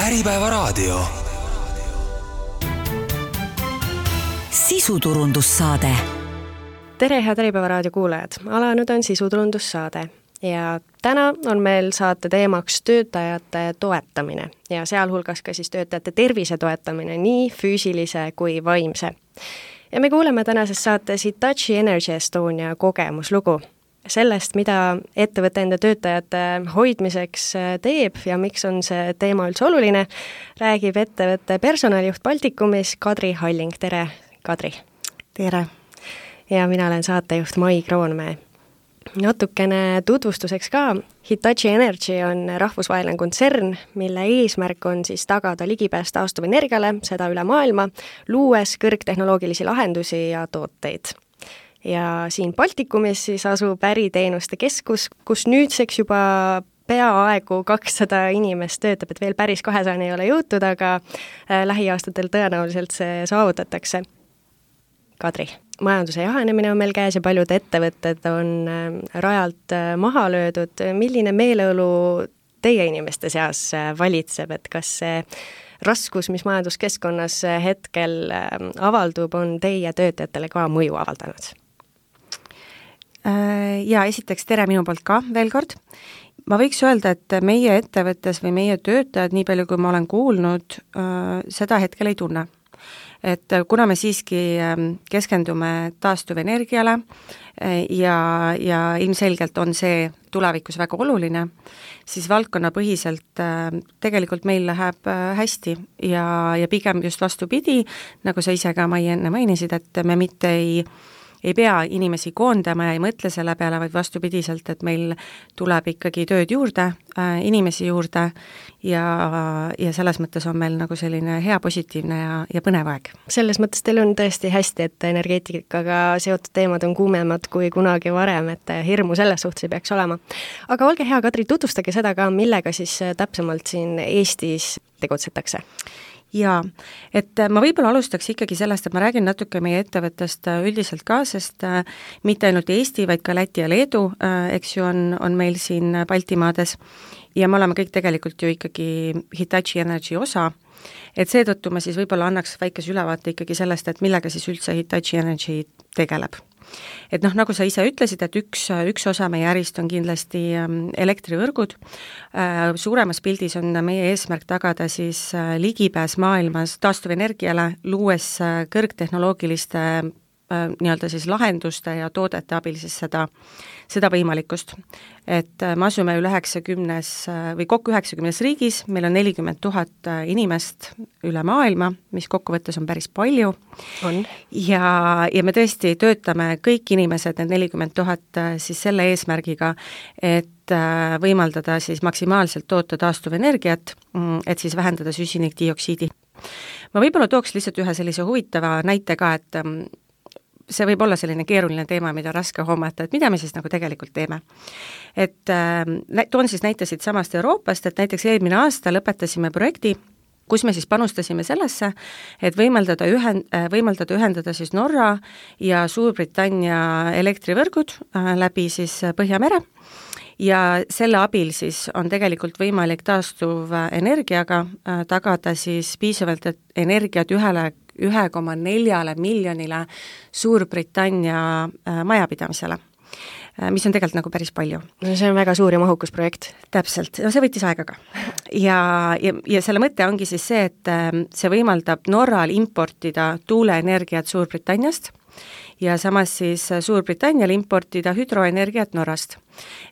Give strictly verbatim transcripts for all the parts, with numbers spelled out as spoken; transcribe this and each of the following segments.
Äripäevaraadio. Sisuturundussaade. Tere, head Äripäevaraadio kuulajad! Alanud on sisuturundussaade ja täna on meil saate teemaks töötajate toetamine ja sealhulgas ka siis töötajate tervise toetamine, nii füüsilise kui vaimse. Ja me kuuleme tänases saates Hitachi Energy Estonia kogemuslugu sellest, mida ettevõtte enda töötajate hoidmiseks teeb ja miks on see teema üldse oluline, räägib ettevõtte personalijuht Baltikumis Kadri Halling. Tere, Kadri! Tere! Ja mina olen saatejuht Mai Kroonmäe. Natukene tutvustuseks ka. Hitachi Energy on rahvusvaheline kontsern, mille eesmärk on siis tagada ligipääs taastuvenergiale, seda üle maailma, luues kõrgtehnoloogilisi lahendusi ja tooteid. Ja siin Baltikumis siis asub äriteenuste keskus, kus nüüdseks juba peaaegu kakssada inimest töötab, et veel päris kahesajani ei ole jõutud, aga lähiaastatel tõenäoliselt see saavutatakse. Kadri, majanduse jahenemine on meil käes ja paljud ettevõtted on rajalt maha löödud. Milline meeleolu teie inimeste seas valitseb, et kas see raskus, mis majanduskeskkonnas hetkel avaldub, on teie töötajatele ka mõju avaldanud? Ja esiteks tere minu poolt ka veel kord. Ma võiks öelda, et meie ettevõttes või meie töötajad, nii palju kui ma olen kuulnud, seda hetkel ei tunne. Et kuna me siiski keskendume taastuvenergiale ja, ja ilmselgelt on see tulevikus väga oluline, siis valdkonnapõhiselt tegelikult meil läheb hästi ja, ja pigem just vastupidi, nagu sa ise ka Mai enne mainisid, et me mitte ei ei pea inimesi koondama ja ei mõtle selle peale, vaid vastupidiselt, et meil tuleb ikkagi tööd juurde, äh, inimesi juurde ja, ja selles mõttes on meil nagu selline hea, positiivne ja, ja põnev aeg. Selles mõttes teil on tõesti hästi, et energeetikaga seotud teemad on kuumemad kui kunagi varem, et hirmu selles suhtes ei peaks olema. Aga olge hea, Kadri, tutvustage seda ka, millega siis täpsemalt siin Eestis tegutsetakse. Jaa, et ma võib-olla alustaks ikkagi sellest, et ma räägin natuke meie ettevõttest üldiselt ka, sest mitte ainult Eesti, vaid ka Läti ja Leedu, eks ju, on, on meil siin Baltimaades ja me oleme kõik tegelikult ju ikkagi Hitachi Energy osa, et seetõttu ma siis võib-olla annaks väikese ülevaate ikkagi sellest, et millega siis üldse Hitachi Energy tegeleb. Et noh, nagu sa ise ütlesid, et üks, üks osa meie ärist on kindlasti elektrivõrgud. Suuremas pildis on meie eesmärk tagada siis ligipääs maailmas taastuvenergiale, luues kõrgtehnoloogiliste nii-öelda siis lahenduste ja toodete abil siis seda, seda võimalikkust. Et me asume üle üheksakümnes või kokku üheksakümnes riigis, meil on nelikümmend tuhat inimest üle maailma, mis kokkuvõttes on päris palju. On. Ja, ja me tõesti töötame kõik inimesed, need nelikümmend tuhat siis selle eesmärgiga, et võimaldada siis maksimaalselt toota taastuvenergiat, et siis vähendada süsinikdioksiidi. Ma võib-olla tooks lihtsalt ühe sellise huvitava näite ka, et see võib olla selline keeruline teema, mida raske hoomata, et mida me siis nagu tegelikult teeme. Et äh, toon siis näitasid samast Euroopast, et näiteks eelmine aasta lõpetasime projekti, kus me siis panustasime sellesse, et võimaldada, ühend, võimaldada ühendada siis Norra ja Suurbritannia elektrivõrgud äh, läbi siis Põhjamere ja selle abil siis on tegelikult võimalik taastuv energiaga äh, tagada siis piisavalt energiat ühele ühe koma neljale miljonile Suurbritannia majapidamisele, mis on tegelikult nagu päris palju. No see on väga suur ja mahukus projekt. Täpselt, no see võttis aega ka. Ja, ja, ja selle mõte ongi siis see, et see võimaldab Norral importida tuuleenergiat Suurbritanniast ja samas siis Suurbritannial importida hüdroenergiat Norrast.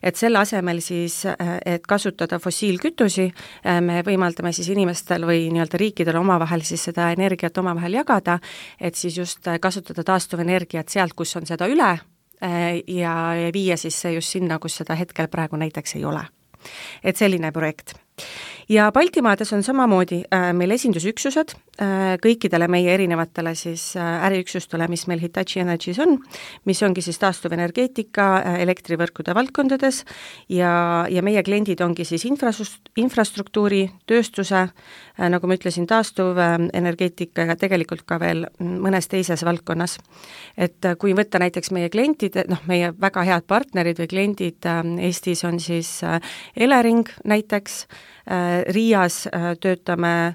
Et selle asemel siis, et kasutada fossiilkütusi, me võimaldame siis inimestel või nii-öelda riikidel omavahel siis seda energiat omavahel jagada, et siis just kasutada taastuvenergiat sealt, kus on seda üle ja viia siis see just sinna, kus seda hetkel praegu näiteks ei ole. Et selline projekt. Ja Baltimaades on samamoodi äh, meil esindusüksused äh, kõikidele meie erinevatele siis äh, äriüksustele, mis meil Hitachi Energys on, mis ongi siis taastuvenergeetika, äh, elektrivõrkude valdkondades ja, ja meie kliendid ongi siis infrastru- infrastruktuuri, tööstuse, äh, nagu ma ütlesin, taastuvenergeetika ja tegelikult ka veel mõnes teises valdkonnas. Et äh, kui võtta näiteks meie klientid, noh, meie väga head partnerid või kliendid äh, Eestis on siis äh, Elering näiteks, Riias töötame,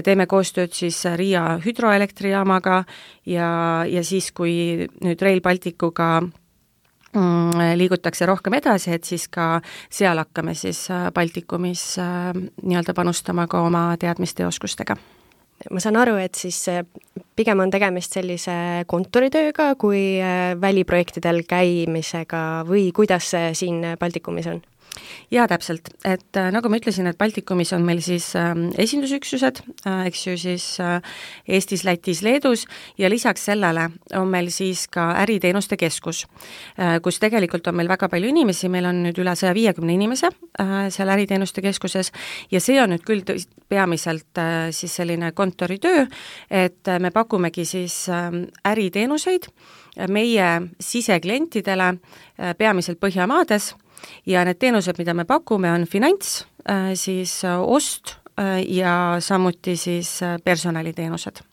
teeme koostööd siis Riia hüdroelektrijaamaga ja, ja siis, kui nüüd Rail Balticuga liigutakse rohkem edasi, et siis ka seal hakkame siis Baltikumis nii-öelda panustama ka oma teadmiste ja oskustega. Ma saan aru, et siis pigem on tegemist sellise kontoritööga kui väliprojektidel käimisega või kuidas see siin Baltikumis on? Jaa, täpselt, et äh, nagu ma ütlesin, et Baltikumis on meil siis äh, esindusüksused, äh, eks ju siis äh, Eestis, Lätis, Leedus ja lisaks sellele on meil siis ka äriteenuste keskus, äh, kus tegelikult on meil väga palju inimesi, meil on nüüd üle saja viiekümne inimese äh, seal äriteenuste keskuses ja see on nüüd küll tõ- peamiselt äh, siis selline kontoritöö, et äh, me pakumegi siis äh, äriteenuseid meie siseklientidele äh, peamiselt Põhjamaades ja need teenused, mida me pakume, on finants, siis ost ja samuti siis personaliteenused.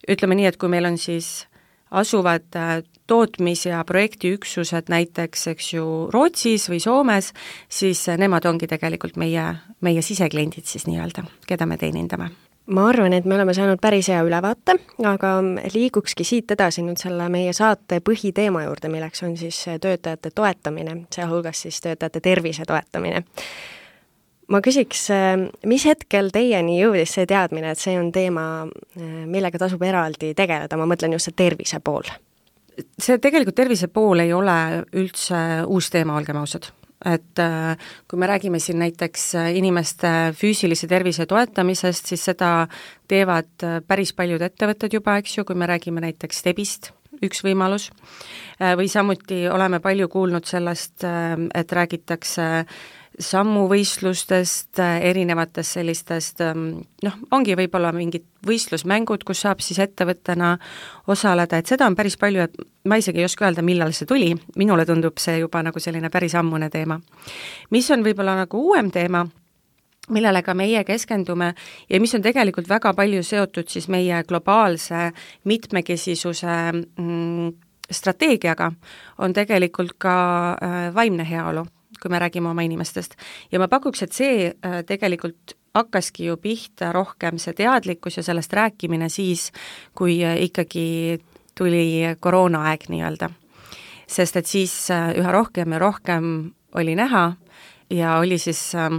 Ütleme nii, et kui meil on siis asuvad tootmis- ja projektiüksused näiteks, eks ju, Rootsis või Soomes, siis nemad ongi tegelikult meie, meie sisekliendid siis nii-öelda, keda me teenindame. Ma arvan, et me oleme saanud päris hea ülevaate, aga liigukski siit edasi nüüd selle meie saate põhiteema juurde, milleks on siis töötajate toetamine, sealhulgas siis töötajate tervise toetamine. Ma küsiks, mis hetkel teieni jõudis see teadmine, et see on teema, millega tasub eraldi tegeleda, ma mõtlen just see tervise pool? See tegelikult tervise pool ei ole üldse uus teema, olgem ausad. Et kui me räägime siin näiteks inimeste füüsilise tervise toetamisest, siis seda teevad päris paljud ettevõtted juba, eks ju, kui me räägime näiteks Stebist, üks võimalus, või samuti oleme palju kuulnud sellest, et räägitakse sammuvõistlustest, erinevatest sellistest, noh, ongi võib-olla mingid võistlusmängud, kus saab siis ettevõttena osaleda, et seda on päris palju, et ma isegi ei oska öelda, millal see tuli, minule tundub see juba nagu selline päris ammune teema. Mis on võib-olla nagu uuem teema, millele ka meie keskendume ja mis on tegelikult väga palju seotud siis meie globaalse mitmekesisuse mm, strateegiaga, on tegelikult ka äh, vaimne heaolu, kui me räägime oma inimestest. Ja ma pakuks, et see äh, tegelikult hakkaski ju pihta rohkem see teadlikkus ja sellest rääkimine siis, kui äh, ikkagi tuli koroonaaeg nii-öelda. Sest et siis äh, üha rohkem ja rohkem oli näha ja oli siis äh,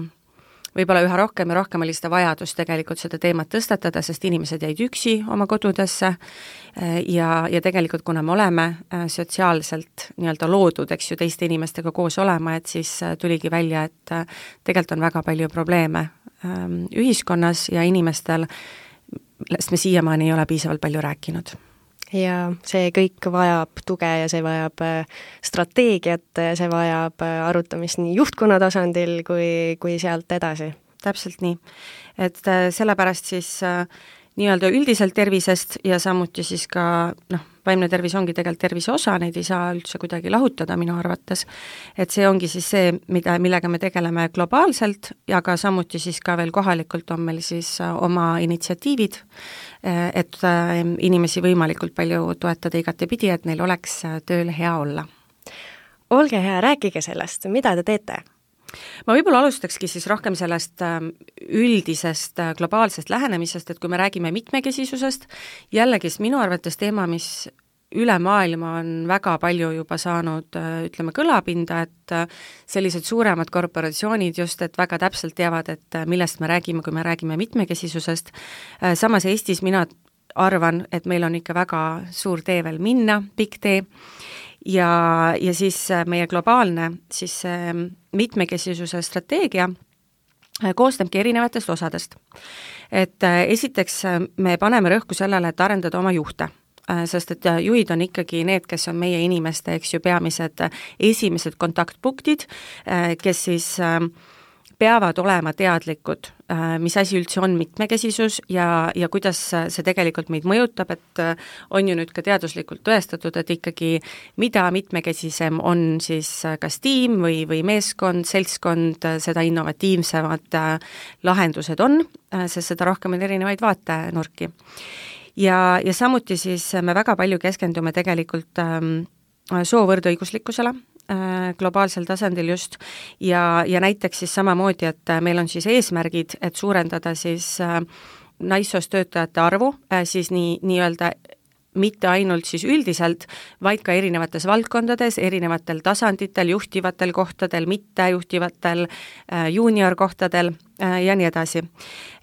võib-olla üha rohkem ja rohkem oli seda vajadust tegelikult seda teemat tõstatada, sest inimesed jäid üksi oma kodudesse ja, ja tegelikult kuna me oleme sotsiaalselt nii-öelda loodud, eks ju, teiste inimestega koos olema, et siis tuligi välja, et tegelikult on väga palju probleeme ühiskonnas ja inimestel, millest me siiamaani ei ole piisavalt palju rääkinud. Ja see kõik vajab tuge ja see vajab strateegiat, see vajab arutamist nii juhtkonna tasandil kui, kui sealt edasi. Täpselt nii. Et sellepärast siis nii-öelda üldiselt tervisest ja samuti siis ka, noh, vaimne tervis ongi tegelikult tervise osa, neid ei saa üldse kuidagi lahutada minu arvates, et see ongi siis see, mida, millega me tegeleme globaalselt ja ka samuti siis ka veel kohalikult on meil siis oma initsiatiivid, et inimesi võimalikult palju toetada igatepidi, et neil oleks tööl hea olla. Olge hea, rääkige sellest, mida te teete? Ma võib-olla alustakski siis rohkem sellest üldisest globaalsest lähenemisest, et kui me räägime mitmekesisusest, jällegi minu arvates teema, mis üle maailma on väga palju juba saanud, ütleme, kõlapinda, et sellised suuremad korporatsioonid just, et väga täpselt teavad, et millest me räägime, kui me räägime mitmekesisusest. Samas Eestis mina arvan, et meil on ikka väga suur tee veel minna, pikk tee, ja, ja siis meie globaalne siis mitmekesisuse strateegia koosnebki erinevatest osadest. Et esiteks me paneme rõhku sellele, et arendada oma juhte, sest et juhid on ikkagi need, kes on meie inimeste, eks ju, peamised esimesed kontaktpunktid, kes siis peavad olema teadlikud, mis asi üldse on mitmekesisus ja, ja kuidas see tegelikult meid mõjutab, et on ju nüüd ka teaduslikult tõestatud, et ikkagi mida mitmekesisem on siis kas tiim või, või meeskond, seltskond, seda innovatiivsemad lahendused on, sest seda rohkem on erinevaid vaatenurki. Ja, ja samuti siis me väga palju keskendume tegelikult ähm, soovõrdõiguslikkusele, äh, globaalsel tasandil just, ja, ja näiteks siis samamoodi, et meil on siis eesmärgid, et suurendada siis äh, naissoost töötajate arvu, äh, siis nii, nii-öelda mitte ainult siis üldiselt, vaid ka erinevates valdkondades, erinevatel tasanditel, juhtivatel kohtadel, mittejuhtivatel, juuniorkohtadel ja nii edasi.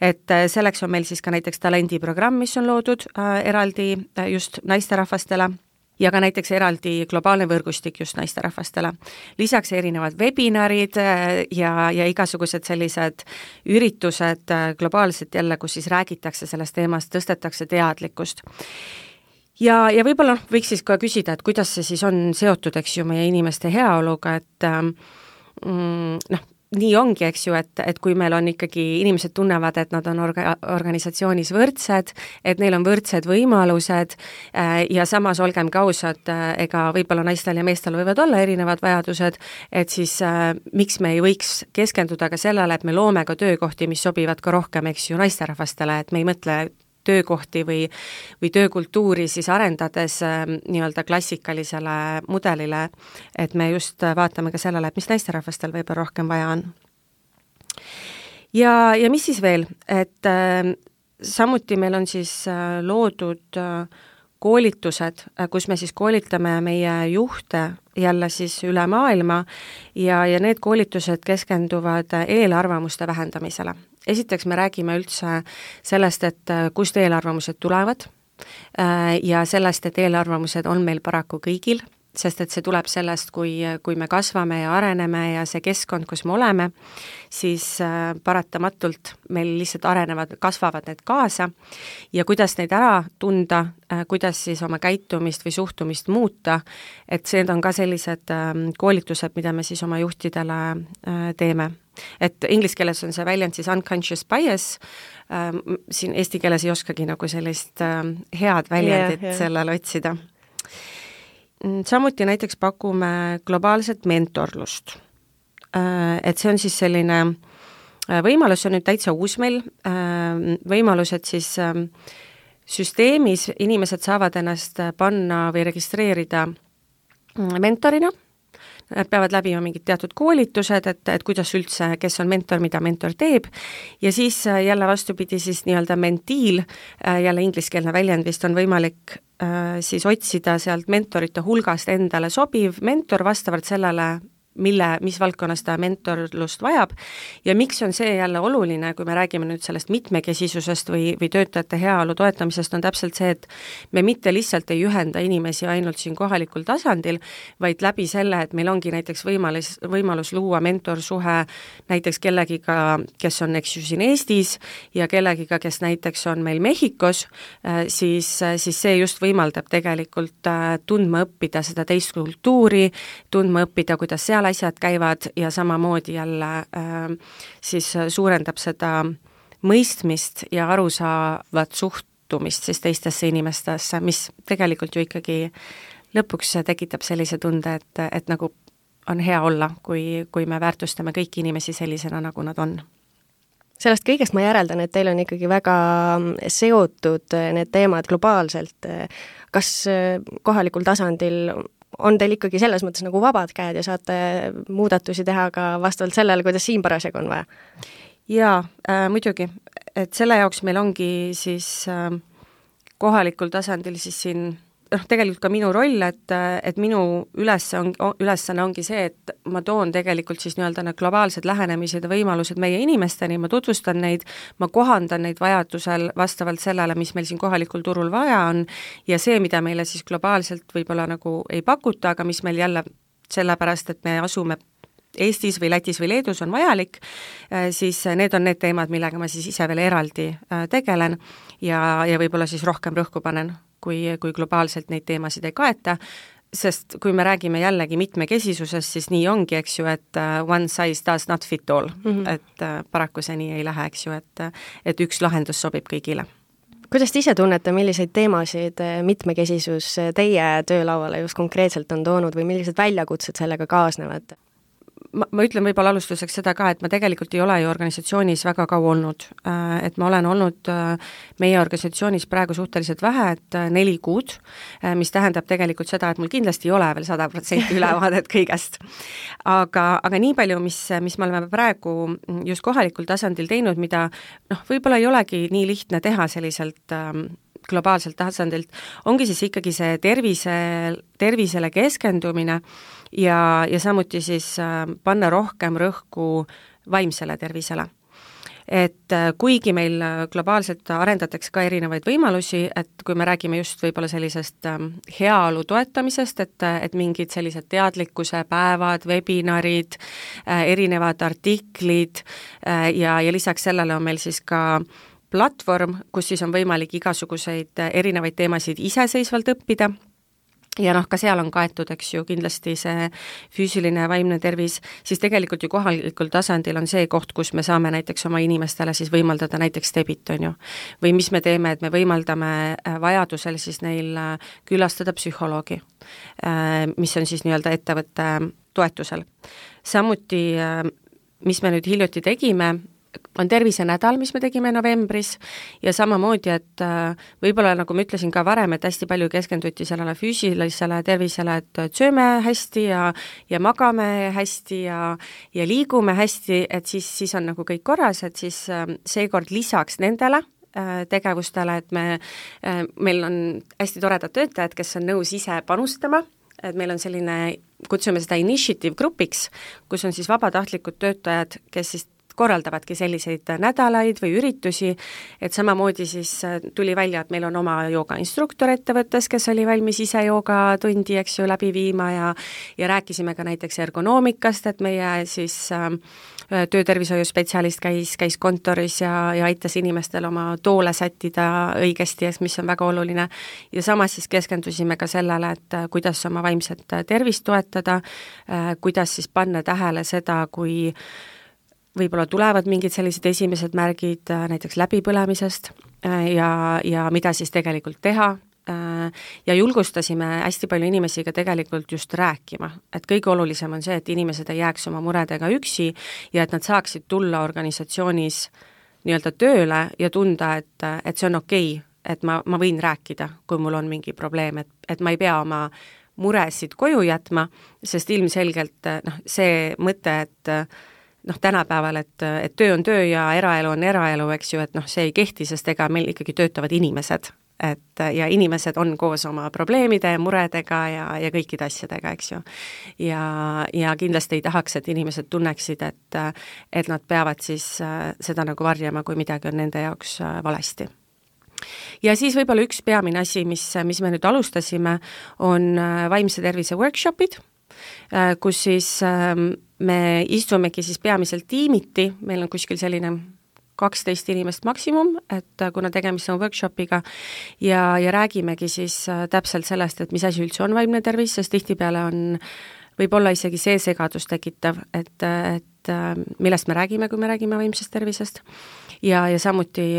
Et selleks on meil siis ka näiteks talendiprogramm, mis on loodud eraldi just naisterahvastele, ja ka näiteks eraldi globaalne võrgustik just naisterahvastele. Lisaks erinevad webinarid ja, ja igasugused sellised üritused globaalselt jälle, kus siis räägitakse sellest teemast, tõstetakse teadlikkust. Ja, ja võib-olla võiks siis ka küsida, et kuidas see siis on seotud, eks ju, meie inimeste heaoluga, et mm, noh, nii ongi, eks ju, et, et kui meil on ikkagi, inimesed tunnevad, et nad on orga, organisatsioonis võrdsed, et neil on võrdsed võimalused äh, ja samas olgem ka ausad, äh, ega võib-olla naistel ja meestel võivad olla erinevad vajadused, et siis äh, miks me ei võiks keskenduda ka sellele, et me loome ka töökohti, mis sobivad ka rohkem, eks ju, naisterahvastele, et me ei mõtle töökohti või, või töökultuuri siis arendades äh, nii-öelda klassikalisele mudelile, et me just vaatame ka sellele, et mis naisterahvastel võib-olla rohkem vaja on. Ja, ja mis siis veel, et äh, samuti meil on siis äh, loodud äh, koolitused, äh, kus me siis koolitame meie juhte jälle siis üle maailma ja, ja need koolitused keskenduvad eelarvamuste vähendamisele. Esiteks me räägime üldse sellest, et kust eelarvamused tulevad ja sellest, et eelarvamused on meil paraku kõigil, sest et see tuleb sellest, kui, kui me kasvame ja areneme ja see keskkond, kus me oleme, siis paratamatult meil lihtsalt arenevad, kasvavad need kaasa ja kuidas neid ära tunda, kuidas siis oma käitumist või suhtumist muuta, et see on ka sellised koolitused, mida me siis oma juhtidele teeme. Et inglise keeles on see väljend siis unconscious bias, ähm, siin eesti keeles ei oskagi nagu sellist ähm, head väljendit yeah, yeah. sellele otsida. Samuti näiteks pakume globaalset mentorlust. Äh, et see on siis selline äh, võimalus, see on nüüd täitsa uus meil, äh, võimalus, et siis äh, süsteemis inimesed saavad ennast panna või registreerida mentorina. Nad peavad läbima mingid teatud koolitused, et, et kuidas üldse, kes on mentor, mida mentor teeb, ja siis jälle vastupidi siis nii-öelda mentiil, jälle ingliskeelne väljend vist on võimalik äh, siis otsida sealt mentorite hulgast endale sobiv mentor vastavalt sellele, mille, mis valdkonnas ta mentorlust vajab ja miks on see jälle oluline, kui me räägime nüüd sellest mitmekesisusest või, või töötajate heaolu toetamisest, on täpselt see, et me mitte lihtsalt ei ühenda inimesi ainult siin kohalikul tasandil, vaid läbi selle, et meil ongi näiteks võimalus, võimalus luua mentorsuhe näiteks kellegiga, kes on eks ju siin Eestis ja kellegiga, kes näiteks on meil Mehhikos, siis, siis see just võimaldab tegelikult tundma õppida seda teist kultuuri, tundma õppida, kuidas seal asjad käivad ja samamoodi jälle äh, siis suurendab seda mõistmist ja arusaavat suhtumist siis teistesse inimestesse, mis tegelikult ju ikkagi lõpuks tekitab sellise tunde, et, et nagu on hea olla, kui, kui me väärtustame kõiki inimesi sellisena, nagu nad on. Sellest kõigest ma järeldan, et teil on ikkagi väga seotud need teemad globaalselt. Kas kohalikul tasandil on teil ikkagi selles mõttes nagu vabad käed ja saate muudatusi teha ka vastavalt sellele, kuidas siin parasjagu on vaja? Jaa, äh, muidugi, et selle jaoks meil ongi siis äh, kohalikul tasandil siis siin noh, tegelikult ka minu roll, et, et minu üles on, ülesanne ongi see, et ma toon tegelikult siis nii-öelda need globaalsed lähenemised ja võimalused meie inimesteni, ma tutvustan neid, ma kohandan neid vajadusel vastavalt sellele, mis meil siin kohalikul turul vaja on ja see, mida meile siis globaalselt võib-olla nagu ei pakuta, aga mis meil jälle sellepärast, et me asume Eestis või Lätis või Leedus on vajalik, siis need on need teemad, millega ma siis ise veel eraldi tegelen ja, ja võib-olla siis rohkem rõhku panen, kui, kui globaalselt neid teemasid ei kaeta, sest kui me räägime jällegi mitmekesisusest, siis nii ongi, eks ju, et one size does not fit all, mm -hmm. et paraku see nii ei lähe, eks ju, et, et üks lahendus sobib kõigile. Kuidas te ise tunnete, milliseid teemasid mitmekesisus teie töölauale just konkreetselt on toonud või millised väljakutsed sellega kaasnevad? ma, ma ütlen võib-olla alustuseks seda ka, et ma tegelikult ei ole ju organisatsioonis väga kaua olnud, et ma olen olnud meie organisatsioonis praegu suhteliselt vähe, et neli kuud, mis tähendab tegelikult seda, et mul kindlasti ei ole veel sada protsenti ülevaadet kõigest. Aga, aga nii palju, mis, mis me oleme praegu just kohalikul tasandil teinud, mida noh, võib-olla ei olegi nii lihtne teha selliselt globaalselt tasandilt, ongi siis ikkagi see tervise, tervisele keskendumine ja, ja samuti siis panna rohkem rõhku vaimsele tervisele. Et kuigi meil globaalselt arendatakse ka erinevaid võimalusi, et kui me räägime just võib-olla sellisest heaolu toetamisest, et, et mingid sellised teadlikkuse päevad, webinarid, erinevad artiklid ja, ja lisaks sellele on meil siis ka platvorm, kus siis on võimalik igasuguseid erinevaid teemasid iseseisvalt õppida ja noh, ka seal on kaetud, eks ju, kindlasti see füüsiline ja vaimne tervis, siis tegelikult ju kohalikul tasandil on see koht, kus me saame näiteks oma inimestele siis võimaldada näiteks debit, on ju. Või mis me teeme, et me võimaldame vajadusel siis neil külastada psühholoogi, mis on siis nii-öelda ettevõtte toetusel. Samuti, mis me nüüd hiljuti tegime, on tervisenädal, mis me tegime novembris ja samamoodi, et võib-olla nagu ma ütlesin ka varem, et hästi palju keskenduti sellele füüsilisele tervisele, et sööme hästi ja, ja magame hästi ja, ja liigume hästi, et siis, siis on nagu kõik korras, et siis seekord lisaks nendele tegevustele, et me, meil on hästi toredad töötajad, kes on nõus ise panustama, et meil on selline, kutsume seda initiative grupiks, kus on siis vabatahtlikud töötajad, kes siis korraldavadki selliseid nädalaid või üritusi, et samamoodi siis tuli välja, et meil on oma joogainstruktor ettevõttes, kes oli valmis ise joogatundi, eks ju, läbi viima ja ja rääkisime ka näiteks ergonoomikast, et meie siis äh, töötervishoiuspetsialist käis, käis kontoris ja, ja aitas inimestel oma toole sättida õigesti, mis on väga oluline. Ja samas siis keskendusime ka sellele, et kuidas oma vaimset tervist toetada, äh, kuidas siis panna tähele seda, kui võib-olla tulevad mingid sellised esimesed märgid näiteks läbipõlemisest ja, ja mida siis tegelikult teha ja julgustasime hästi palju inimesi ka tegelikult just rääkima, et kõige olulisem on see, et inimesed ei jääks oma muredega üksi ja et nad saaksid tulla organisatsioonis nii-öelda tööle ja tunda, et, et see on okei, et ma, ma võin rääkida, kui mul on mingi probleem, et, et ma ei pea oma muresid koju jätma, sest ilmselgelt noh, see mõte, et noh, tänapäeval, et, et töö on töö ja eraelu on eraelu, eks ju, et noh, see ei kehti, sest ega meil ikkagi töötavad inimesed, et ja inimesed on koos oma probleemide ja muredega ja, ja kõikide asjadega, eks ju. Ja, ja kindlasti ei tahaks, et inimesed tunneksid, et, et nad peavad siis seda nagu varjama, kui midagi on nende jaoks valesti. Ja siis võib-olla üks peamine asi, mis, mis me nüüd alustasime, on vaimse tervise workshopid, kus siis me istumegi siis peamiselt tiimiti, meil on kuskil selline kaksteist inimest maksimum, et kuna tegemist on workshopiga ja, ja räägimegi siis täpselt sellest, et mis asi üldse on vaimne tervis, sest tihtipeale on võib-olla isegi see segadus tekitav, et, et millest me räägime, kui me räägime vaimsest tervisest ja, ja samuti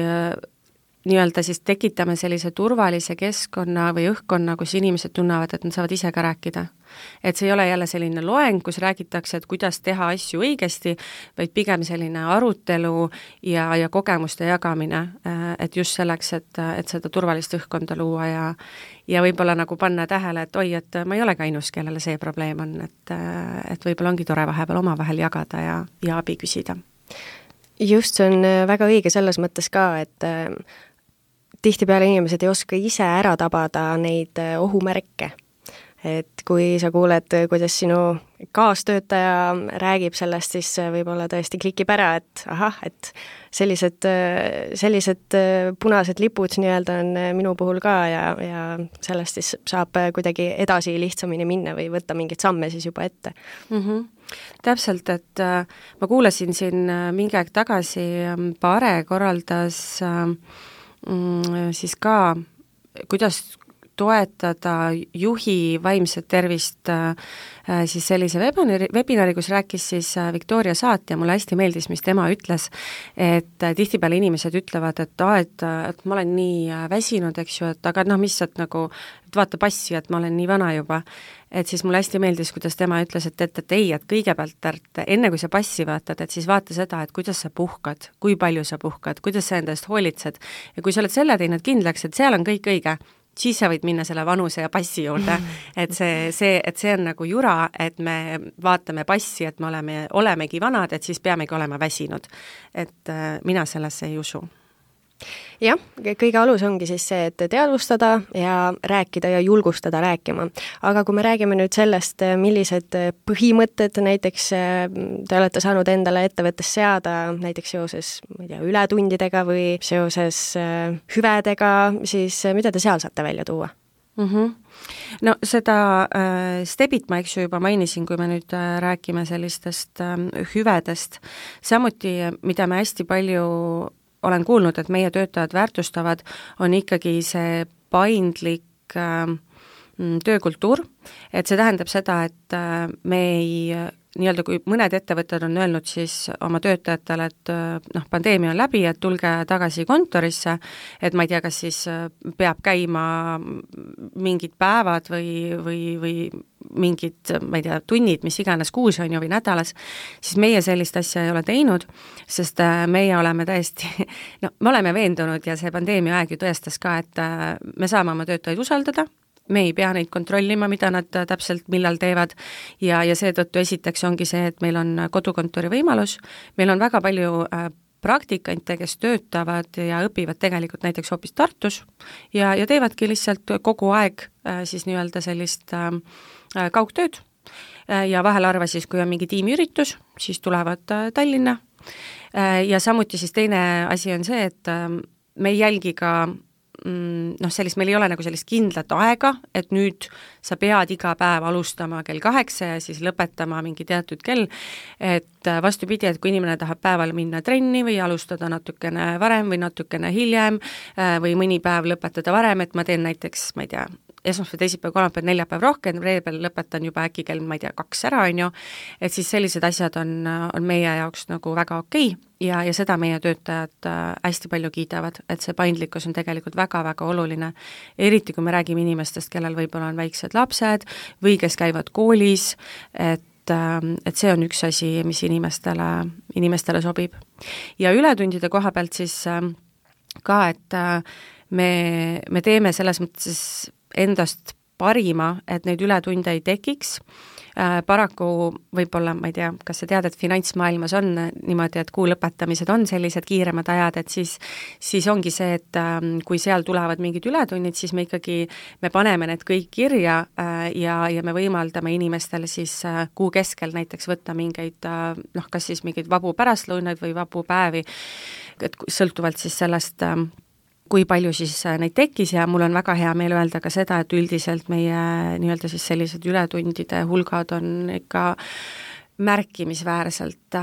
nii-öelda siis tekitame sellise turvalise keskkonna või õhkkonna, kus inimesed tunnevad, et nad saavad ise ka rääkida. Et see ei ole jälle selline loeng, kus räägitakse, et kuidas teha asju õigesti, vaid pigem selline arutelu ja, ja kogemuste jagamine, et just selleks, et, et seda turvalist õhkkonda luua ja, ja võib-olla nagu panna tähele, et oi, et ma ei ole ka ainus, kellele see probleem on, et, et võib-olla ongi tore vahepeal omavahel jagada ja, ja abi küsida. Just, see on väga õige selles mõttes ka, et tihtipeale inimesed ei oska ise ära tabada neid ohumärke. Et kui sa kuuled, kuidas sinu kaastöötaja räägib sellest, siis võib-olla tõesti klikib ära, et ahah, et sellised, sellised punased lipud nii-öelda on minu puhul ka ja, ja sellest siis saab kuidagi edasi lihtsamini minna või võtta mingeid samme siis juba ette. Mm-hmm. Täpselt, et äh, ma kuulasin siin äh, mingi aeg tagasi äh, Paare korraldas äh, siis ka, kuidas toetada juhi vaimset tervist äh, siis sellise webinari, webinari, kus rääkis siis Victoria Saat ja mulle hästi meeldis, mis tema ütles, et tihtipeale inimesed ütlevad, et aa, et, et ma olen nii väsinud, eks ju, et aga noh, mis, et nagu, et vaata passi, et ma olen nii vana juba. Et siis mulle hästi meeldis, kuidas tema ütles, et, et, et ei, et kõigepealt, et enne kui sa passi vaatad, et siis vaata seda, et kuidas sa puhkad, kui palju sa puhkad, kuidas sa endast hoolitsed ja kui sa oled selle teinud kindlaks, et seal on kõik õige, siis sa võid minna selle vanuse ja passi juurde, et see, see, et see on nagu jura, et me vaatame passi, et me oleme, olemegi vanad, et siis peamegi olema väsinud. Et äh, mina sellesse ei usu. Jah, kõige alus ongi siis see, et teadvustada ja rääkida ja julgustada rääkima. Aga kui me räägime nüüd sellest, millised põhimõtted näiteks te olete saanud endale ettevõttes seada, näiteks seoses ma ei tea, ületundidega või seoses hüvedega, siis mida te seal saate välja tuua? Mm-hmm. No seda äh, stebit ma eks ju juba mainisin, kui me nüüd äh, räägime sellistest äh, hüvedest. Samuti, mida me hästi palju olen kuulnud, et meie töötajad väärtustavad, on ikkagi see paindlik äh, töökultuur, et see tähendab seda, et äh, me ei, nii-öelda kui mõned ettevõtted on öelnud siis oma töötajatele, et noh, pandeemia on läbi, et tulge tagasi kontorisse, et ma ei tea, kas siis peab käima mingid päevad või, või, või mingid, ma ei tea, tunnid, mis iganes kuus on ju või nädalas, siis meie sellist asja ei ole teinud, sest meie oleme täiesti, no me oleme veendunud ja see pandeemia aeg ju tõestas ka, et me saame oma töötajaid usaldada, me ei pea neid kontrollima, mida nad täpselt millal teevad ja, ja seetõttu esiteks ongi see, et meil on kodukontori võimalus, meil on väga palju äh, praktikante, kes töötavad ja õpivad tegelikult näiteks hoopis Tartus ja, ja teevadki lihtsalt kogu aeg äh, siis nii-öelda sellist äh, kaugtööd äh, ja vahel arva siis, kui on mingi tiimiüritus, siis tulevad äh, Tallinna äh, ja samuti siis teine asi on see, et äh, me ei jälgi ka noh, sellist, meil ei ole nagu sellist kindlat aega, et nüüd sa pead iga päev alustama kell kaheksa ja siis lõpetama mingi teatud kell, et vastupidi, et kui inimene tahab päeval minna trenni või alustada natukene varem või natukene hiljem või mõni päev lõpetada varem, et ma teen näiteks, ma ei tea, esmaspäev, teisipäev, kolmapäev, neljapäev rohkem, reedel lõpetan juba äkki kell, ma ei tea, kaks ära, on ju, et siis sellised asjad on, on meie jaoks nagu väga okei ja, ja seda meie töötajad hästi palju kiidavad, et see paindlikkus on tegelikult väga-väga oluline, eriti kui me räägime inimestest, kellel võib-olla on väiksed lapsed või kes käivad koolis, et et see on üks asi, mis inimestele, inimestele sobib. Ja ületundide koha pealt siis ka, et me, me teeme selles mõttes endast parima, et neid ületunde ei tekiks. Äh, paraku võib-olla, ma ei tea, kas sa tead, et finantsmaailmas on niimoodi, et kuu lõpetamised on sellised kiiremad ajad, et siis, siis ongi see, et äh, kui seal tulevad mingid ületunnid, siis me ikkagi, me paneme need kõik kirja äh, ja, ja me võimaldame inimestele siis äh, kuu keskel näiteks võtta mingeid, äh, noh, kas siis mingeid vabu pärastlõunaid või vabu päevi, et sõltuvalt siis sellest äh, kui palju siis neid tekkis ja mul on väga hea meel öelda ka seda, et üldiselt meie nii-öelda siis sellised ületundide hulgad on ikka märkimisväärselt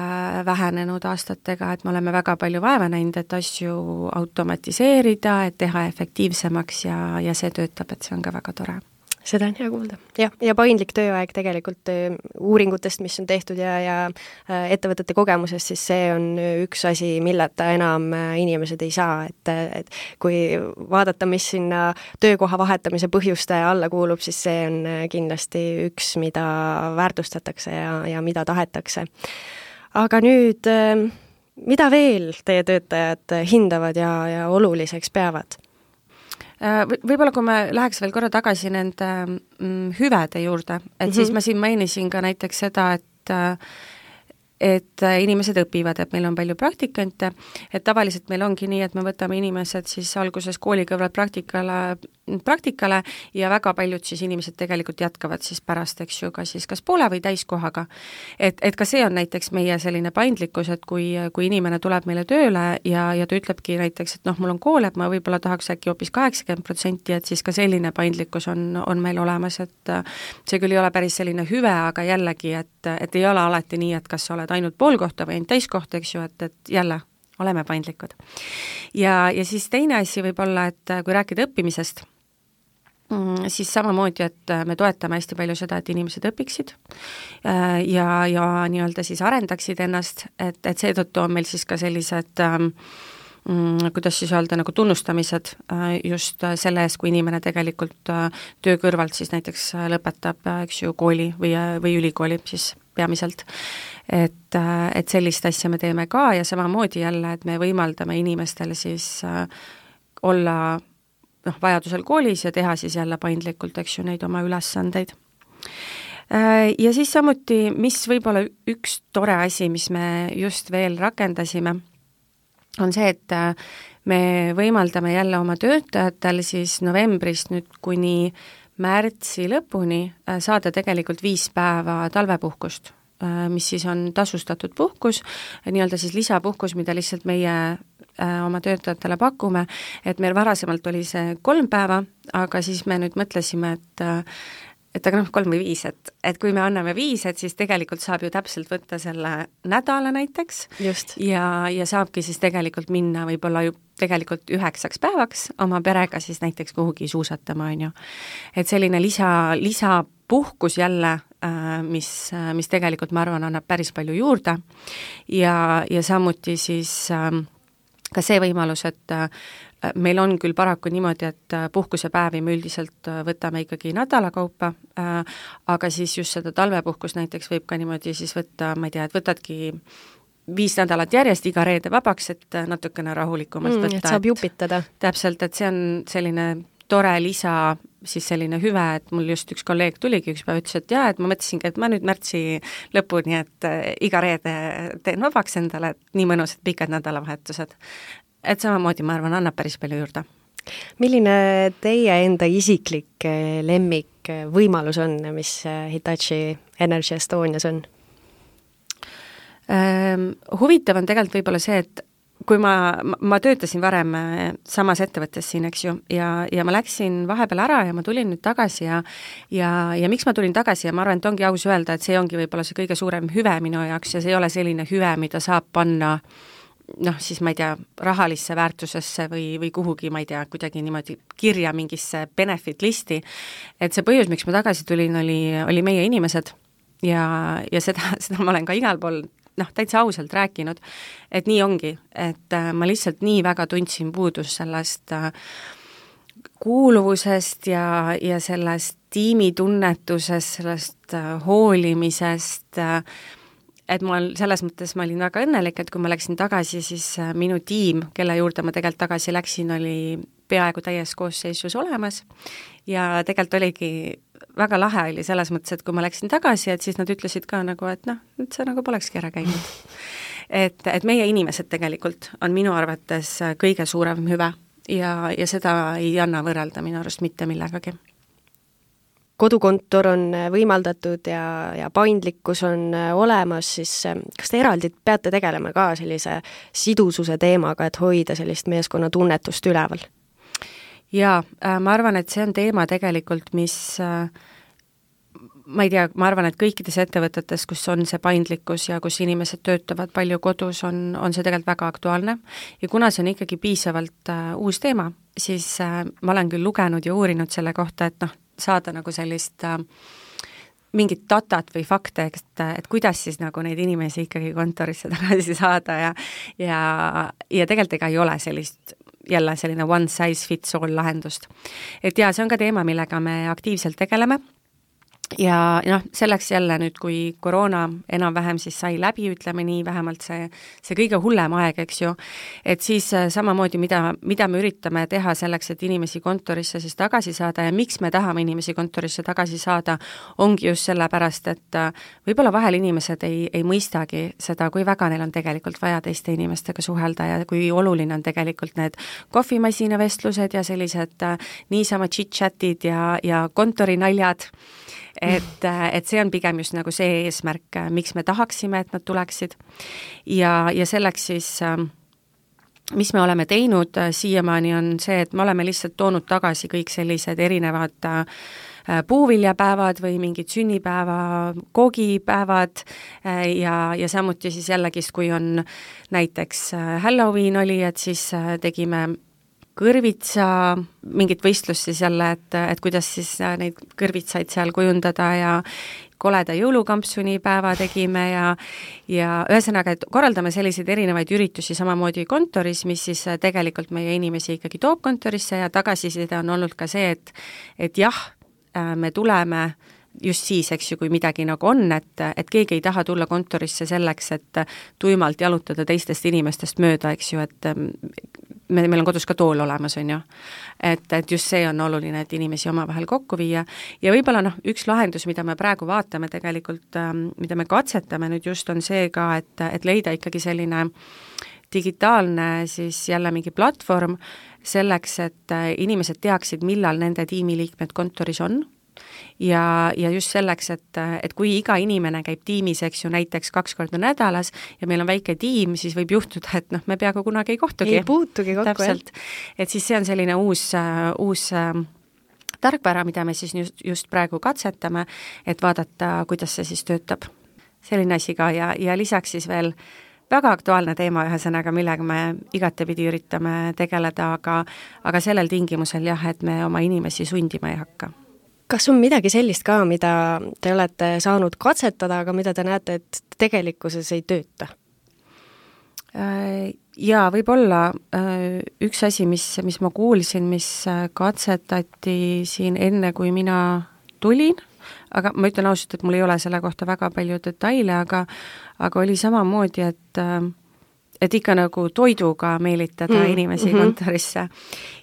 vähenenud aastatega, et me oleme väga palju vaeva näinud, et asju automatiseerida, et teha efektiivsemaks ja, ja see töötab, et see on ka väga tore. Seda on hea kuulda. jah, ja paindlik tööaeg tegelikult uuringutest, mis on tehtud ja, ja ettevõtete kogemusest, siis see on üks asi, milleta enam inimesed ei saa, et, et kui vaadata, mis sinna töökoha vahetamise põhjuste alla kuulub, siis see on kindlasti üks, mida väärtustatakse ja, ja mida tahetakse. Aga nüüd, mida veel teie töötajad hindavad ja, ja oluliseks peavad? Võib-olla kui me läheks veel korra tagasi nende mm, hüvede juurde, et mm-hmm. siis ma siin mainisin ka näiteks seda, et et inimesed õpivad, et meil on palju praktikante, et tavaliselt meil ongi nii, et me võtame inimesed siis alguses koolikõrvalt praktikale, praktikale ja väga paljud siis inimesed tegelikult jätkavad siis pärast, eks ju, ka siis kas poole või täiskohaga. Et, et ka see on näiteks meie selline paindlikkus, et kui, kui inimene tuleb meile tööle ja, ja ta ütlebki näiteks, et noh, mul on kool, et ma võib-olla tahaks äkki hoopis kaheksakümmend protsenti, et siis ka selline paindlikkus on, on meil olemas, et see küll ei ole päris selline hüve, aga jällegi, et, et ei ole alati nii, et kas sa oled ainult pool kohta või ainult täiskohta, eks ju, et, et jälle oleme paindlikud. Ja, ja siis teine asi võib olla, et kui rääkida õppimisest, siis samamoodi, et me toetame hästi palju seda, et inimesed õpiksid ja, ja nii-öelda siis arendaksid ennast, et, et seetõttu on meil siis ka sellised ähm, kuidas siis öelda, nagu tunnustamised just selle eest, kui inimene tegelikult töö kõrvalt siis näiteks lõpetab, eks ju, kooli või, või ülikooli siis peamiselt. Et, et sellist asja me teeme ka ja samamoodi jälle, et me võimaldame inimestel siis olla noh, vajadusel koolis ja teha siis jälle paindlikult, eks ju, neid oma ülesandeid. Ja siis samuti, mis võib-olla üks tore asi, mis me just veel rakendasime, on see, et me võimaldame jälle oma töötajatel siis novembrist nüüd kuni märtsi lõpuni saada tegelikult viis päeva talvepuhkust, mis siis on tasustatud puhkus, nii-öelda siis lisapuhkus, mida lihtsalt meie oma töötajatele pakume, et meil varasemalt oli see kolm päeva, aga siis me nüüd mõtlesime, et et aga noh, kolm või viis, et, et kui me anname viis, et siis tegelikult saab ju täpselt võtta selle nädala näiteks. Just. ja, ja saabki siis tegelikult minna võib-olla ju tegelikult üheksaks päevaks oma perega siis näiteks kuhugi suusatama, on ju. Et selline lisa, lisapuhkus jälle, mis, mis tegelikult, ma arvan, annab päris palju juurde ja, ja samuti siis ka see võimalus, et meil on küll paraku niimoodi, et puhkusepäevi me üldiselt võtame ikkagi nädala kaupa, aga siis just seda talvepuhkus näiteks võib ka niimoodi siis võtta, ma ei tea, et võtadki viis nädalat järjest iga reede vabaks, et natukene rahulikumalt mm, võtta. Et saab jupitada. Täpselt, et see on selline tore lisa, siis selline hüve, et mul just üks kolleeg tuligi üks päev, ütles, et jaa, et ma mõtlesingi, et ma nüüd märtsi lõpuni, et iga reede teen vabaks endale, et nii mõnus, et pikad nädalavahetused. Et samamoodi, ma arvan, annab päris palju juurde. Milline teie enda isiklik lemmik võimalus on, mis Hitachi Energy Estonias on? Ähm, huvitav on tegelikult võib-olla see, et kui ma, ma töötasin varem samas ettevõttes siin, eks ju, ja, ja ma läksin vahepeal ära ja ma tulin nüüd tagasi ja ja, ja miks ma tulin tagasi ja ma arvan, et ongi aus öelda, et see ongi võib-olla see kõige suurem hüve minu jaoks ja see ei ole selline hüve, mida saab panna noh, siis ma ei tea, rahalisse väärtusesse või, või kuhugi, ma ei tea, kuidagi niimoodi kirja mingisse benefit listi, et see põhjus, miks ma tagasi tulin, oli, oli meie inimesed ja, ja seda, seda ma olen ka igal pool noh, täitsa ausalt rääkinud, et nii ongi, et äh, ma lihtsalt nii väga tundsin puudus sellest äh, kuuluvusest ja, ja sellest tiimitunnetusest, sellest äh, hoolimisest äh,, et ma selles mõttes ma olin väga õnnelik, et kui ma läksin tagasi, siis minu tiim, kelle juurde ma tegelikult tagasi läksin, oli peaaegu täies koosseisus olemas ja tegelikult oligi väga lahe oli selles mõttes, et kui ma läksin tagasi, et siis nad ütlesid ka nagu, et noh, et see nagu polekski ära käinud. et, et meie inimesed tegelikult on minu arvates kõige suurem hüve ja, ja seda ei anna võrrelda minu arust mitte millegagi. Kodukontor on võimaldatud ja, ja paindlikkus on olemas, siis kas te eraldi peate tegelema ka sellise sidususe teemaga, et hoida sellist meeskonna tunnetust üleval? Jaa, ma arvan, et see on teema tegelikult, mis ma ei tea, ma arvan, et kõikides ettevõtetes, kus on see paindlikkus ja kus inimesed töötavad palju kodus, on, on see tegelikult väga aktuaalne ja kuna see on ikkagi piisavalt uh, uus teema, siis uh, ma olen küll lugenud ja uurinud selle kohta, et noh, saada nagu sellist äh, mingit datat või fakte, et, et kuidas siis nagu neid inimesi ikkagi kontorisse tagasi saada ja ja, ja tegelikult ega ei ole sellist jälle selline one size fits all lahendust. Et jaa, see on ka teema, millega me aktiivselt tegeleme ja noh, selleks jälle nüüd, kui koroona enam-vähem siis sai läbi, ütleme nii, vähemalt see, see kõige hullem aeg, eks ju, et siis samamoodi, mida, mida me üritame teha selleks, et inimesi kontorisse siis tagasi saada ja miks me tahame inimesi kontorisse tagasi saada, ongi just sellepärast, et võib-olla vahel inimesed ei, ei mõistagi seda, kui väga neil on tegelikult vaja teiste inimestega suhelda ja kui oluline on tegelikult need kohvimasina vestlused ja sellised niisama chit-chatid ja, ja kontorinaljad, et, et see on pigem just nagu see eesmärk, miks me tahaksime, et nad tuleksid ja, ja selleks siis mis me oleme teinud siiamaani on see, et me oleme lihtsalt toonud tagasi kõik sellised erinevad puuviljapäevad või mingid sünnipäeva, koogipäevad ja, ja samuti siis jällegist, kui on näiteks Halloween oli, et siis tegime kõrvitsa mingit võistlust siis jälle, et, et kuidas siis neid kõrvitsaid seal kujundada ja koleda jõulukampsuni päeva tegime ja ja ühesõnaga, et korraldame selliseid erinevaid üritusi samamoodi kontoris, mis siis tegelikult meie inimesi ikkagi toob kontorisse ja tagasiside on olnud ka see, et et jah, me tuleme just siis, eks ju, kui midagi nagu on, et, et keegi ei taha tulla kontorisse selleks, et tuimalt jalutada teistest inimestest mööda, eks ju, et me, meil on kodus ka tool olemas, on ju. Et, et just see on oluline, et inimesi omavahel kokku viia ja võib-olla noh, üks lahendus, mida me praegu vaatame tegelikult, mida me katsetame nüüd just, on see ka, et, et leida ikkagi selline digitaalne siis jälle mingi platvorm selleks, et inimesed teaksid, millal nende tiimiliikmed kontoris on. Ja, ja just selleks, et, et kui iga inimene käib tiimis, eks ju, näiteks kaks korda nädalas ja meil on väike tiim, siis võib juhtuda, et noh, me peaaegu kunagi ei kohtugi. Ei puutugi kokku, täpselt. Et siis see on selline uus, uus tarkvara, mida me siis just, just praegu katsetame, et vaadata, kuidas see siis töötab. Selline asi ka ja, ja lisaks siis veel väga aktuaalne teema ühesõnaga, millega me igatepidi üritame tegeleda, aga, aga sellel tingimusel jah, et me oma inimesi sundima ei hakka. Kas on midagi sellist ka, mida te olete saanud katsetada, aga mida te näete, et tegelikkuses ei tööta? Jaa, võib-olla üks asi, mis, mis ma kuulsin, mis katsetati siin enne, kui mina tulin, aga ma ütlen ausalt, et mul ei ole selle kohta väga palju detaile, aga, aga oli samamoodi, et et ikka nagu toiduga meelitada mm, inimesi mm-hmm. kontorisse.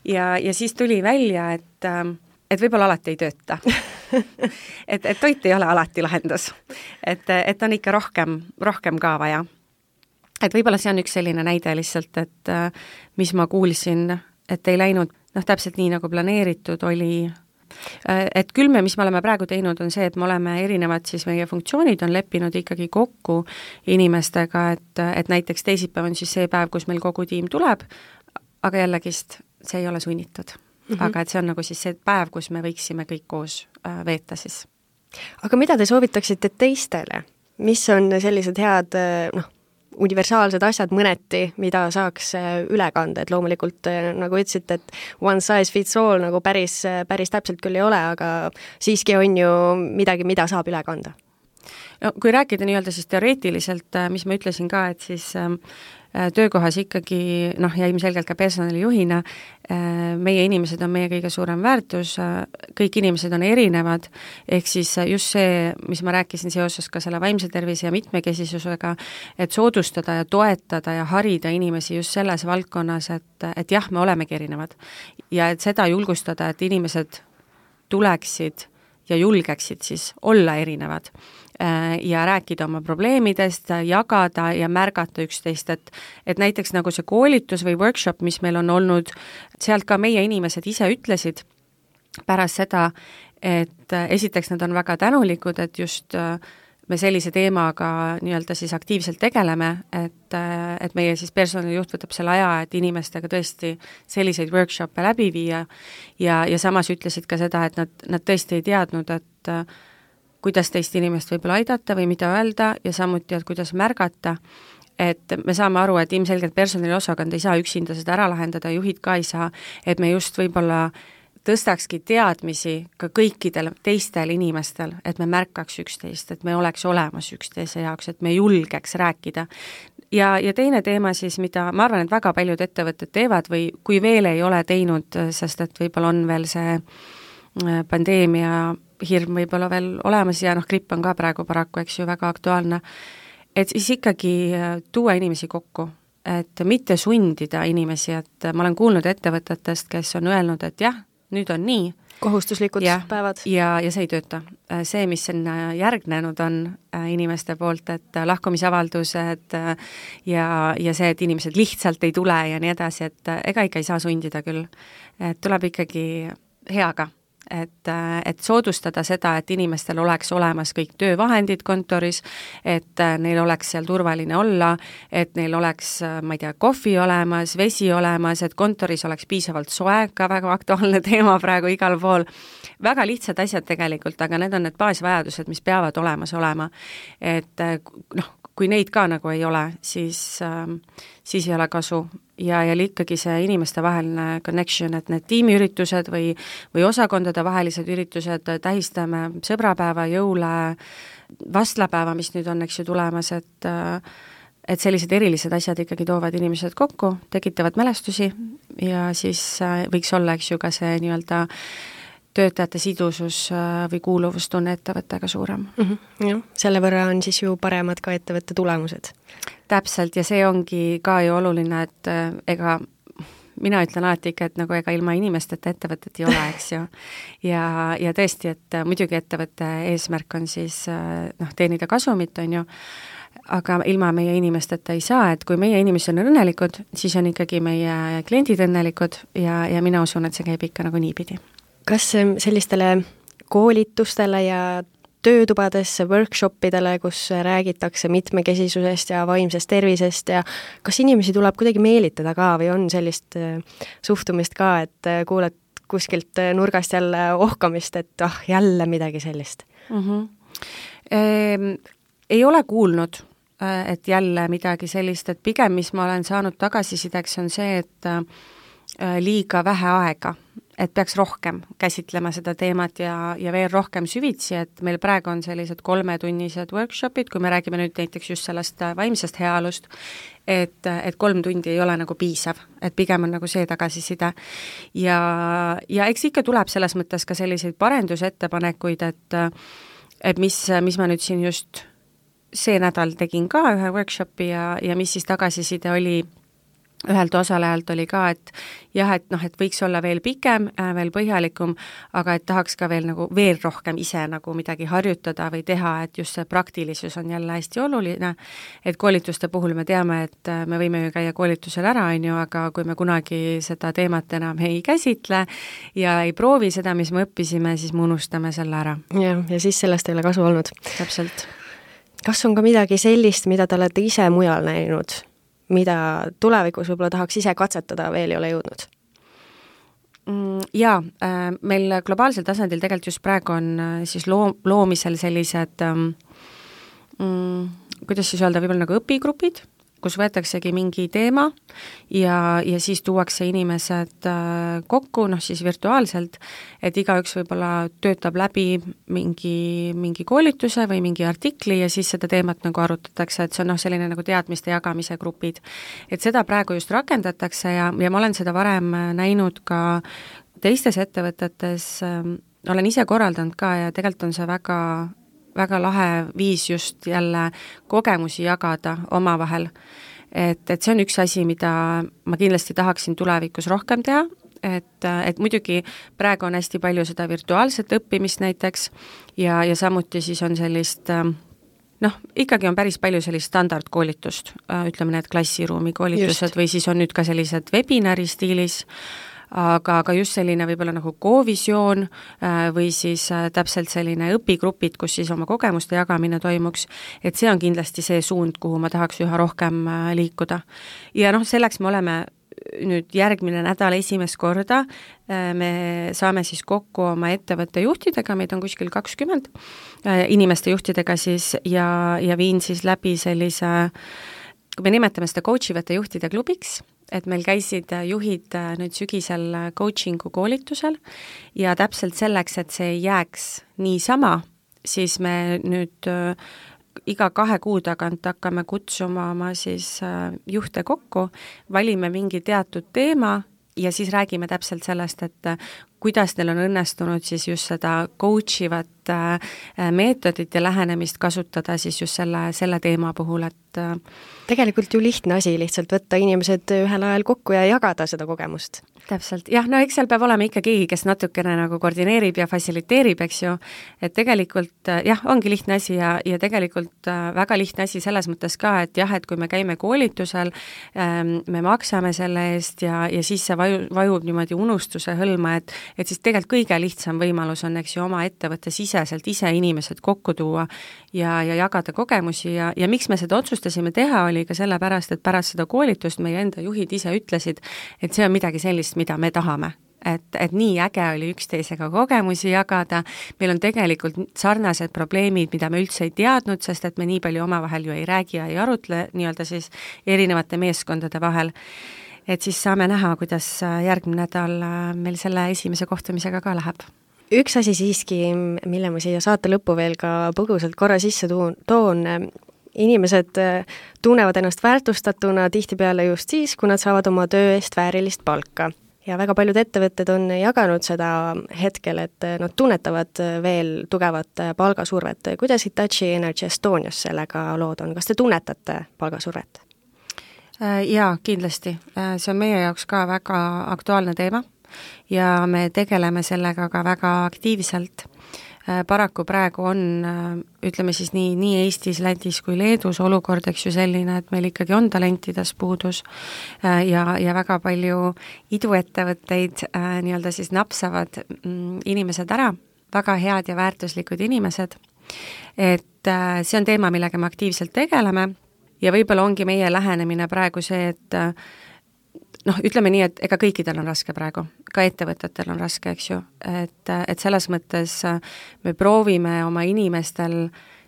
Ja, ja siis tuli välja, et et võib-olla alati ei tööta. et, et toit ei ole alati lahendus. Et, et on ikka rohkem, rohkem ka vaja. Et võib-olla see on üks selline näide lihtsalt, et mis ma kuulsin, et ei läinud noh, täpselt nii nagu planeeritud oli. Et küll me, mis me oleme praegu teinud, on see, et me oleme erinevad siis meie funktsioonid on leppinud ikkagi kokku inimestega, et, et näiteks teisipäev on siis see päev, kus meil kogu tiim tuleb, aga jällegist see ei ole sunnitud. Mm-hmm. Aga et see on nagu siis see päev, kus me võiksime kõik koos äh, veeta siis. Aga mida te soovitaksite teistele? Mis on sellised head, noh, universaalsed asjad mõneti, mida saaks üle kanda, et loomulikult, nagu ütlesite, et one size fits all nagu päris, päris täpselt küll ei ole, aga siiski on ju midagi, mida saab üle kanda? No, kui rääkida nii-öelda siis teoreetiliselt, mis ma ütlesin ka, et siis äh, töökohas ikkagi, noh, ja ilmselgelt ka personalijuhina, äh, meie inimesed on meie kõige suurem väärtus, äh, kõik inimesed on erinevad, ehk siis just see, mis ma rääkisin seoses ka selle vaimse tervise ja mitmekesisusega, et soodustada ja toetada ja harida inimesi just selles valdkonnas, et, et jah, me olemegi erinevad. Ja et seda julgustada, et inimesed tuleksid ja julgeksid siis olla erinevad ja rääkida oma probleemidest, jagada ja märgata üksteist, et, et näiteks nagu see koolitus või workshop, mis meil on olnud, sealt ka meie inimesed ise ütlesid pärast seda, et esiteks nad on väga tänulikud, et just me sellise teemaga nii-öelda siis aktiivselt tegeleme, et, et meie siis personalijuht võtab selle aja, et inimestega tõesti selliseid workshop'e läbi viia ja, ja samas ütlesid ka seda, et nad, nad tõesti ei teadnud, et kuidas teist inimest võib-olla aidata või mida öelda ja samuti, et kuidas märgata, et me saame aru, et ilmselgelt personaliosakond ei saa üksinda seda ära lahendada, juhid ka ei saa, et me just võib-olla tõstakski teadmisi ka kõikidel teistel inimestel, et me märkaks üksteist, et me oleks olemas üksteise jaoks, et me julgeks rääkida. Ja, ja teine teema siis, mida ma arvan, et väga paljud ettevõtted teevad või kui veel ei ole teinud, sest et võib-olla on veel see pandeemia hirm võib-olla veel olemas ja noh, gripp on ka praegu paraku, eks ju, väga aktuaalne, et siis ikkagi tuua inimesi kokku, et mitte sundida inimesi, et ma olen kuulnud ettevõtetest, kes on öelnud, et jah, nüüd on nii. Kohustuslikud ja, päevad. Ja, ja see ei tööta. See, mis on järgnenud, on inimeste poolt, et lahkumisavaldused ja, ja see, et inimesed lihtsalt ei tule ja nii edasi, et ega ikka ei saa sundida küll. Et tuleb ikkagi heaga. Et, et soodustada seda, et inimestel oleks olemas kõik töövahendid kontoris, et neil oleks seal turvaline olla, et neil oleks, ma ei tea, kohvi olemas, vesi olemas, et kontoris oleks piisavalt soe, ka väga aktuaalne teema praegu igal pool. Väga lihtsad asjad tegelikult, aga need on need baasvajadused, mis peavad olemas olema. Et noh, kui neid ka nagu ei ole, siis, siis ei ole kasu. ja, ja ikkagi see inimeste vaheline connection, et need tiimiüritused või, või osakondade vahelised üritused, tähistame sõbrapäeva, jõule, vastlapäeva, mis nüüd on, eks ju, tulemas, et et sellised erilised asjad ikkagi toovad inimesed kokku, tekitavad mälestusi ja siis võiks olla, eks ju, ka see nii-öelda töötajate sidusus või kuuluvustunne ettevõttega suurem. Mm -hmm. Jah, selle võrra on siis ju paremad ka ettevõtte tulemused. Täpselt, ja see ongi ka ju oluline, et ega mina ütlen alati ikka, et nagu ega ilma inimesteta ettevõtet ei ole, eks ju. Ja, ja tõesti, et muidugi ettevõtte eesmärk on siis noh, teenida kasumit, on ju, aga ilma meie inimesteta ei saa, et kui meie inimesed on õnnelikud, siis on ikkagi meie kliendid õnnelikud ja, ja mina usun, et see käib ikka nagu niipidi. Kas sellistele koolitustele ja töötubadesse, workshopidele, kus räägitakse mitmekesisusest ja vaimsest tervisest ja kas inimesi tuleb kuidagi meelitada ka või on sellist suhtumist ka, et kuuled kuskilt nurgast jälle ohkamist, et ah, jälle midagi sellist? Mm -hmm. ehm, ei ole kuulnud, et jälle midagi sellist, et pigem, mis ma olen saanud tagasisideks, on see, et liiga vähe aega, et peaks rohkem käsitlema seda teemat ja, ja veel rohkem süvitsi, et meil praegu on sellised kolmetunnised workshopid, kui me räägime nüüd näiteks just sellest vaimsest heaolust, et, et kolm tundi ei ole nagu piisav, et pigem on nagu see tagasiside. Ja, ja eks ikka tuleb selles mõttes ka selliseid parendusettepanekuid, et, et mis, mis ma nüüd siin just see nädal tegin ka ühe workshopi ja, ja mis siis tagasiside oli ühelt osalejalt oli ka, et jah, et noh, et võiks olla veel pikem, veel põhjalikum, aga et tahaks ka veel nagu veel rohkem ise nagu midagi harjutada või teha, et just see praktilisus on jälle hästi oluline, et koolituste puhul me teame, et me võime ju käia koolitusel ära, on ju, aga kui me kunagi seda teemat enam ei käsitle ja ei proovi seda, mis me õppisime, siis me unustame selle ära. Ja, ja siis sellest ei ole kasu olnud. Täpselt. Kas on ka midagi sellist, mida te olete ise mujal näinud, mida tulevikus võib-olla tahaks ise katsetada, veel ei ole jõudnud? Jaa, meil globaalsel tasandil tegelikult just praegu on siis loo, loomisel sellised mm, kuidas siis öelda, võib-olla nagu õpigrupid, kus võetaksegi mingi teema ja, ja siis tuuakse inimesed kokku, noh siis virtuaalselt, et igaüks võib-olla töötab läbi mingi, mingi koolituse või mingi artikli ja siis seda teemat nagu arutatakse, et see on noh, selline nagu teadmiste jagamise grupid. Et seda praegu just rakendatakse ja, ja ma olen seda varem näinud ka teistes ettevõtetes, olen ise korraldanud ka ja tegelikult on see väga väga lahe viis just jälle kogemusi jagada omavahel. Et, et see on üks asi, mida ma kindlasti tahaksin tulevikus rohkem teha, et, et muidugi praegu on hästi palju seda virtuaalset õppimist näiteks ja, ja samuti siis on sellist noh, ikkagi on päris palju sellist standardkoolitust, ütleme need klassiruumi koolitused just. Või siis on nüüd ka sellised webinari stiilis, aga, aga just selline võib-olla nagu Go-visioon või siis täpselt selline õpigrupid, kus siis oma kogemuste jagamine toimuks, et see on kindlasti see suund, kuhu ma tahaks üha rohkem liikuda. Ja noh, selleks me oleme nüüd järgmine nädal esimest korda, me saame siis kokku oma ettevõtte juhtidega, meid on kuskil kakskümmend inimeste juhtidega siis ja, ja viin siis läbi sellise, kui me nimetame seda coachivate juhtide klubiks, et meil käisid juhid nüüd sügisel coachingu koolitusel ja täpselt selleks, et see ei jääks niisama, siis me nüüd iga kahe kuu tagant hakkame kutsuma oma siis juhte kokku, valime mingi teatud teema ja siis räägime täpselt sellest, et kuidas neil on õnnestunud siis just seda coach ivat meetodit ja lähenemist kasutada siis just selle, selle teema puhul, et tegelikult ju lihtne asi lihtsalt võtta inimesed ühel ajal kokku ja jagada seda kogemust. Täpselt, jah, no eks seal peab olema ikka keegi, kes natukene nagu koordineerib ja fassiliteerib, eks ju, et tegelikult jah, ongi lihtne asi ja, ja tegelikult väga lihtne asi selles mõttes ka, et jah, et kui me käime koolitusel, me maksame selle eest ja, ja siis see vaju, vajub niimoodi unustuse hõlma, et, et siis tegelikult kõige lihtsam võimalus on, eks ju, oma ettevõtte siseselt ise inimesed kokku tuua ja, ja jagada kogemusi ja, ja miks me seda otsustasime teha, oli ka sellepärast, et pärast seda koolitust meie enda juhid ise ütlesid, et see on midagi sellist, mida me tahame. Et, et nii äge oli üksteisega kogemusi jagada, meil on tegelikult sarnased probleemid, mida me üldse ei teadnud, sest et me nii palju omavahel ju ei räägi ja ei arutle nii-öelda siis erinevate meeskondade vahel. et siis saame näha, kuidas järgmine nädal meil selle esimese kohtumisega ka läheb. Üks asi siiski, mille ma siia saate lõppu veel ka põgusalt korra sisse tuun, toon, inimesed tunnevad ennast väärtustatuna tihtipeale just siis, kui nad saavad oma töö eest väärilist palka. Ja väga paljud ettevõtted on jaganud seda hetkel, et nad tunnetavad veel tugevat palgasurvet. Kuidas Hitachi Energy Estonias sellega lood on? Kas te tunnetate palgasurvet? Jaa, kindlasti. See on meie jaoks ka väga aktuaalne teema ja me tegeleme sellega ka väga aktiivselt. Paraku praegu on, ütleme siis nii, nii Eestis, Lätis kui Leedus olukord, eks ju selline, et meil ikkagi on talentides puudus ja, ja väga palju iduettevõtteid nii-öelda siis napsavad inimesed ära, väga head ja väärtuslikud inimesed. Et see on teema, millega me aktiivselt tegeleme ja võib-olla ongi meie lähenemine praegu see, et noh, ütleme nii, et ega kõikidel on raske praegu, ka ettevõtetel on raske, eks ju, et, et selles mõttes me proovime oma inimestel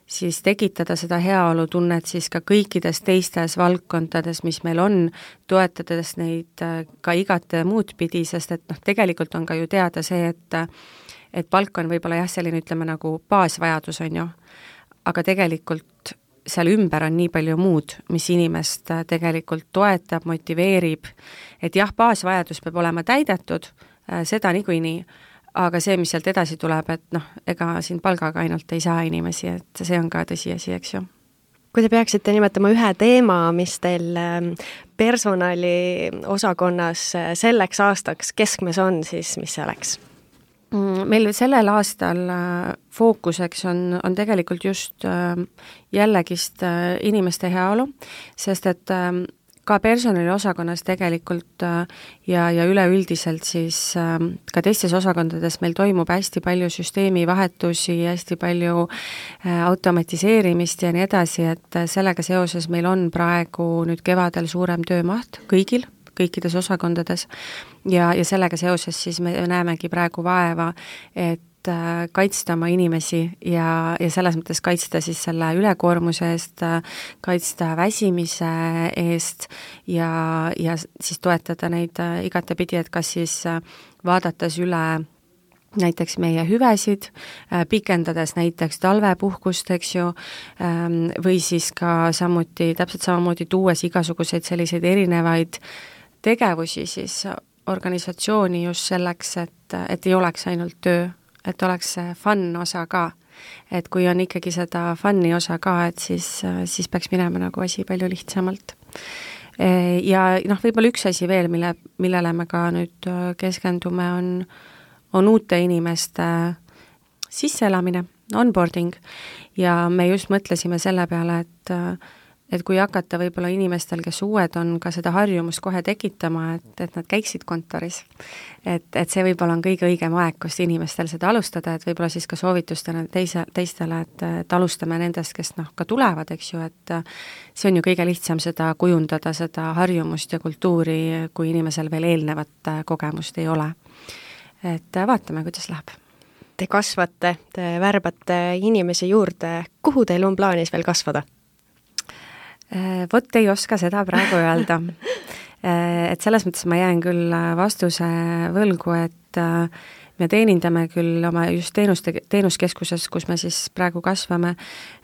siis tekitada seda heaolutunnet siis ka kõikides teistes valdkondades, mis meil on, toetades neid ka igat muud pidi, sest et noh, tegelikult on ka ju teada see, et et palk on võib-olla jah, selline ütleme nagu baasvajadus on ju, aga tegelikult seal ümber on nii palju muud, mis inimest tegelikult toetab, motiveerib, et jah, baasvajadus peab olema täidetud, seda niikuinii, aga see, mis sealt edasi tuleb, et noh, ega siin palgaga ainult ei saa inimesi, et see on ka tõsiasi, eks ju. Kui te peaksite nimetama ühe teema, mis teil personali osakonnas selleks aastaks keskmes on, siis mis see oleks? Meil sellel aastal fookuseks on, on tegelikult just jällegist inimeste heaolu, sest et ka personaliosakonnas tegelikult ja, ja üleüldiselt siis ka teistes osakondades meil toimub hästi palju süsteemivahetusi, hästi palju automatiseerimist ja nii edasi, et sellega seoses meil on praegu nüüd kevadel suurem töömaht kõigil, kõikides osakondades ja, ja sellega seoses siis me näemegi praegu vaeva, et kaitsta oma inimesi ja, ja selles mõttes kaitsta siis selle ülekoormuse eest, kaitsta väsimise eest ja, ja siis toetada neid igatepidi, et kas siis vaadates üle näiteks meie hüvesid, pikendades näiteks talvepuhkust, eks ju, või siis ka samuti, täpselt samamoodi tuues igasuguseid selliseid erinevaid tegevusi siis organisatsiooni just selleks, et, et ei oleks ainult töö, et oleks see fun osa ka. Et kui on ikkagi seda fun'i osa ka, et siis, siis peaks minema nagu asi palju lihtsamalt. Ja noh, võib-olla üks asi veel, mille, millele me ka nüüd keskendume, on, on uute inimeste sisseelamine, onboarding, ja me just mõtlesime selle peale, et et kui hakata võib-olla inimestel, kes uued on, ka seda harjumust kohe tekitama, et, et nad käiksid kontoris. Et, et see võib-olla on kõige õigem aeg, kust inimestel seda alustada, et võib-olla siis ka soovitustena teise, teistele, et, et alustame nendest, kes noh, ka tulevad, eks ju, et see on ju kõige lihtsam seda kujundada, seda harjumust ja kultuuri, kui inimesel veel eelnevat kogemust ei ole. Et vaatame, kuidas läheb. Te kasvate, te värbate inimesi juurde. Kuhu teil on plaanis veel kasvada? Vot ei oska seda praegu öelda. Et selles mõttes ma jään küll vastuse võlgu, et me teenindame küll oma just teenuste, teenuskeskuses, kus me siis praegu kasvame,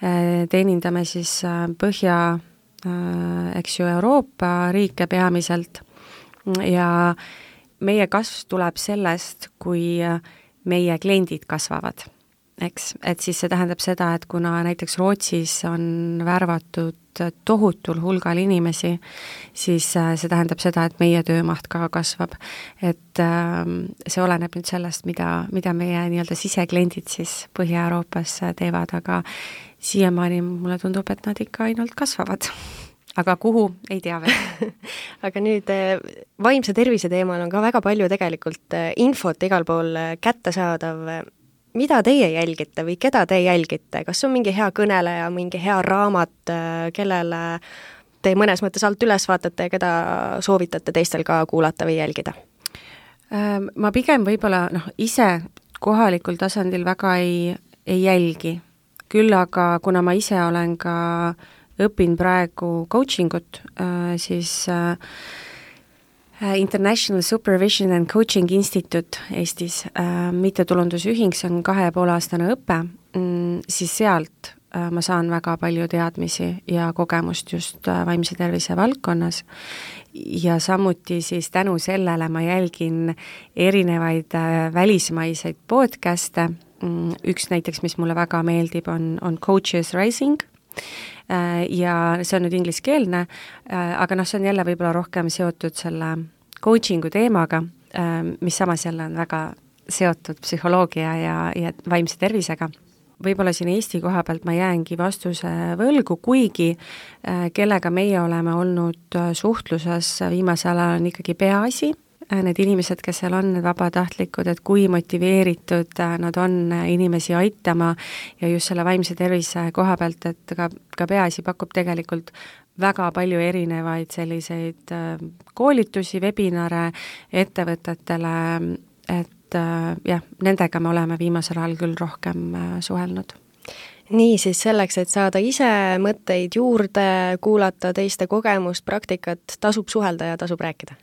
teenindame siis Põhja, eks ju, Euroopa riike peamiselt ja meie kasv tuleb sellest, kui meie kliendid kasvavad. Eks, et siis see tähendab seda, et kuna näiteks Rootsis on värvatud tohutul hulgal inimesi, siis see tähendab seda, et meie töömaht ka kasvab. Et see oleneb nüüd sellest, mida, mida meie nii-öelda sisekliendid siis Põhja-Euroopas teevad, aga siiamaani mulle tundub, et nad ikka ainult kasvavad. Aga kuhu, ei tea veel. Aga nüüd vaimse tervise teemal on ka väga palju tegelikult infot igal pool kättesaadav. Mida teie jälgite või keda te jälgite? Kas on mingi hea kõneleja, mingi hea raamat, kellele te mõnes mõttes alt üles vaatate ja keda soovitate teistel ka kuulata või jälgida? Ma pigem võib-olla noh, ise kohalikul tasandil väga ei, ei jälgi. Küll aga kuna ma ise olen ka õpin praegu coaching ut, siis International Supervision and Coaching Institute Eestis, mittetulundusühing, see on kahe ja poole aastane õpe, siis sealt ma saan väga palju teadmisi ja kogemust just vaimse tervise valdkonnas ja samuti siis tänu sellele ma jälgin erinevaid välismaiseid podcast'e, üks näiteks, mis mulle väga meeldib, on, on Coaches Rising, ja see on nüüd ingliskeelne, aga noh, see on jälle võib-olla rohkem seotud selle coachingu teemaga, mis samas jälle on väga seotud psühholoogia ja, ja vaimse tervisega. Võib-olla siin Eesti koha pealt ma jäängi vastuse võlgu, kuigi kellega meie oleme olnud suhtluses viimasel ajal on ikkagi peaasi, need inimesed, kes seal on, need vabatahtlikud, et kui motiveeritud nad on inimesi aitama ja just selle vaimse tervise koha pealt, et ka, ka peaasi pakub tegelikult väga palju erinevaid selliseid koolitusi, webinare ettevõtetele, et jah, nendega me oleme viimasel ajal küll rohkem suhelnud. Nii siis selleks, et saada ise mõtteid juurde, kuulata teiste kogemust, praktikat, tasub suhelda ja tasub rääkida?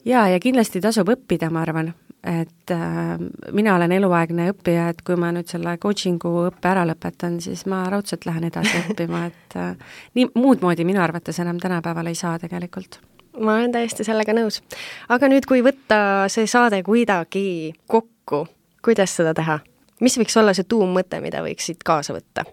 Jaa, ja kindlasti tasub õppida, ma arvan, et äh, mina olen eluaegne õppija, et kui ma nüüd selle coachingu õppe ära lõpetan, siis ma raudselt lähen edasi õppima, et äh, nii muud moodi minu arvates enam tänapäeval ei saa tegelikult. Ma olen täiesti sellega nõus. Aga nüüd, kui võtta see saade kuidagi kokku, kuidas seda teha? Mis võiks olla see tuummõte, mida võiks siit kaasa võtta?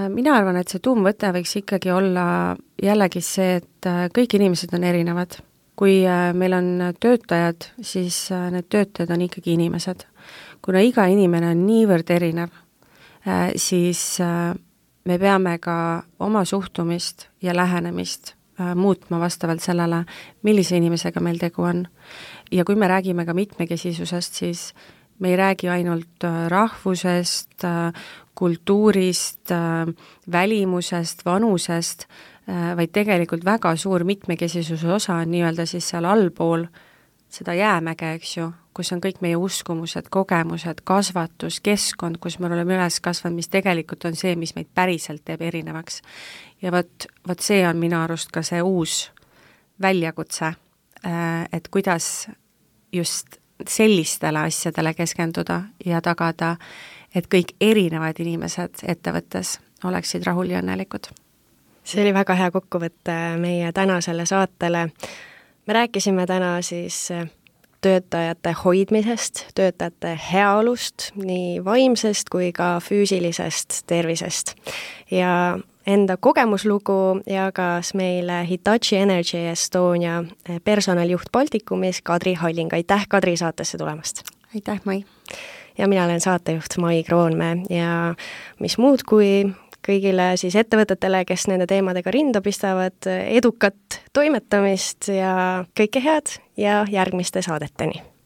Mina arvan, et see tuumvõte võiks ikkagi olla jällegi see, et kõik inimesed on erinevad. Kui meil on töötajad, siis need töötajad on ikkagi inimesed. Kuna iga inimene on niivõrd erinev, siis me peame ka oma suhtumist ja lähenemist muutma vastavalt sellele, millise inimesega meil tegu on. Ja kui me räägime ka mitmekesisusest, siis me ei räägi ainult rahvusest, kultuurist, välimusest, vanusest, vaid tegelikult väga suur mitmekesisuse osa on nii-öelda siis seal allpool seda jäämäge, eks ju, kus on kõik meie uskumused, kogemused, kasvatus, keskkond, kus me oleme üles kasvanud, mis tegelikult on see, mis meid päriselt teeb erinevaks. Ja võt, võt see on minu arust ka see uus väljakutse, et kuidas just sellistele asjadele keskenduda ja tagada, et kõik erinevad inimesed ettevõttes oleksid rahul ja õnnelikud. See oli väga hea kokkuvõte meie tänasele saatele. Me rääkisime täna siis töötajate hoidmisest, töötajate heaolust, nii vaimsest kui ka füüsilisest tervisest. Ja enda kogemuslugu jagas meile Hitachi Energy Estonia personaljuht Baltikumis Kadri Halling. Aitäh Kadri saatesse tulemast! Aitäh, Mai! Ja mina olen saatejuht Mai Kroonmäe ja mis muud kui kõigile siis ettevõtetele, kes nende teemadega rinda pistavad, edukat toimetamist ja kõike head ja järgmiste saadeteni!